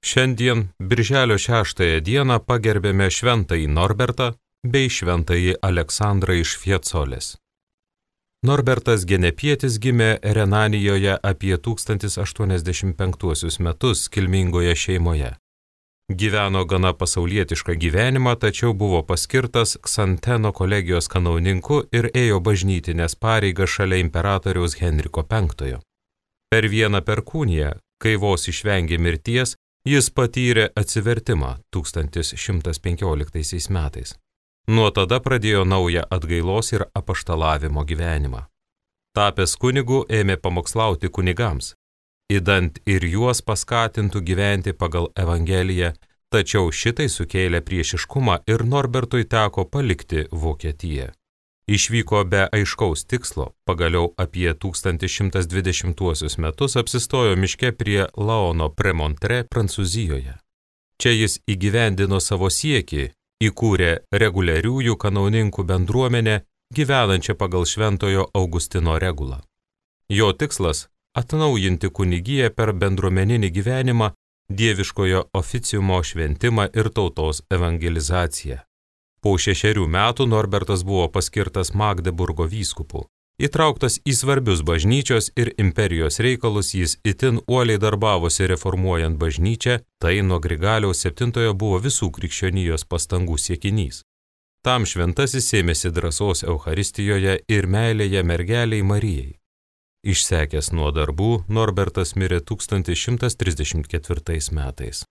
Šiandien, birželio 6 dieną, pagerbėme šventąjį Norbertą bei šventąjį Aleksandrą iš Fiecolės. Norbertas Genepietis gimė Renanijoje apie 1085 metus kilmingoje šeimoje. Gyveno gana pasaulietišką gyvenimą, tačiau buvo paskirtas Ksanteno kolegijos kanauninku ir ėjo bažnytinės pareigas šalia imperatoriaus Henriko V. Per vieną perkūniją, kai vos išvengė mirties, jis patyrė atsivertimą 1115 metais. Nuo tada pradėjo naują atgailos ir apaštalavimo gyvenimą. Tapęs kunigu ėmė pamokslauti kunigams, idant ir juos paskatintų gyventi pagal Evangeliją, tačiau šitai sukėlė priešiškumą ir Norbertui teko palikti Vokietiją. Išvyko be aiškaus tikslo, pagaliau apie 1120 metus apsistojo miške prie Laono Premontre, Prancūzijoje. Čia jis įgyvendino savo siekį, įkūrė reguliariųjų kanauninkų bendruomenę, gyvenančią pagal šventojo Augustino regulą. Jo tikslas – atnaujinti kunigiją per bendruomeninį gyvenimą, dieviškojo oficiumo šventimą ir tautos evangelizaciją. Po 6 metų Norbertas buvo paskirtas Magdeburgo vyskupu. Įtrauktas į svarbius bažnyčios ir imperijos reikalus, jis itin uoliai darbavosi reformuojant bažnyčią, tai nuo Grigaliaus VII buvo visų krikščionijos pastangų siekinys. Tam šventasis ėmėsi drąsos Eucharistijoje ir meilėje mergeliai Marijai. Išsekęs nuo darbų, Norbertas mirė 1134 metais.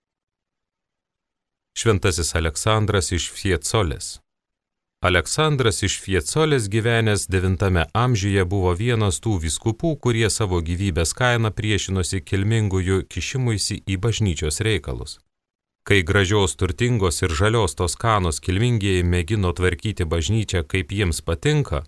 Šventasis Aleksandras iš Fiecolės. Aleksandras iš Fiecolės gyvenęs IX amžiuje buvo vienas tų vyskupų, kurie savo gyvybės kainą priešinosi kilmingųjų kišimuisi į bažnyčios reikalus. Kai gražios, turtingos ir žalios Toskanos kilmingieji mėgino tvarkyti bažnyčią kaip jiems patinka,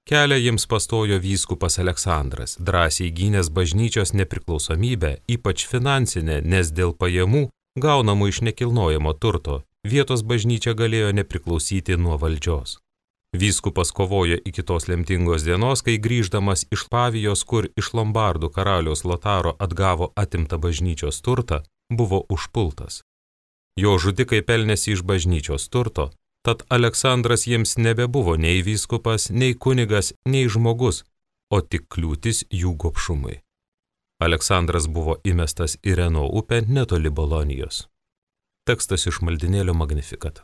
kelią jiems pastojo vyskupas Aleksandras, drąsiai gynęs bažnyčios nepriklausomybę, ypač finansinę, nes dėl pajamų, gaunamų iš nekilnojamo turto, vietos bažnyčia galėjo nepriklausyti nuo valdžios. Vyskupas kovojo iki tos lemtingos dienos, kai grįždamas iš Pavijos, kur iš Lombardų karaliaus Lotaro atgavo atimtą bažnyčios turtą, buvo užpultas. Jo žudikai pelnėsi iš bažnyčios turto, tad Aleksandras jiems nebebuvo nei vyskupas, nei kunigas, nei žmogus, o tik kliūtis jų gobšumui. Aleksandras buvo įmestas į Reno upę netoli Bolonijos. Tekstas iš maldinėlio Magnificat.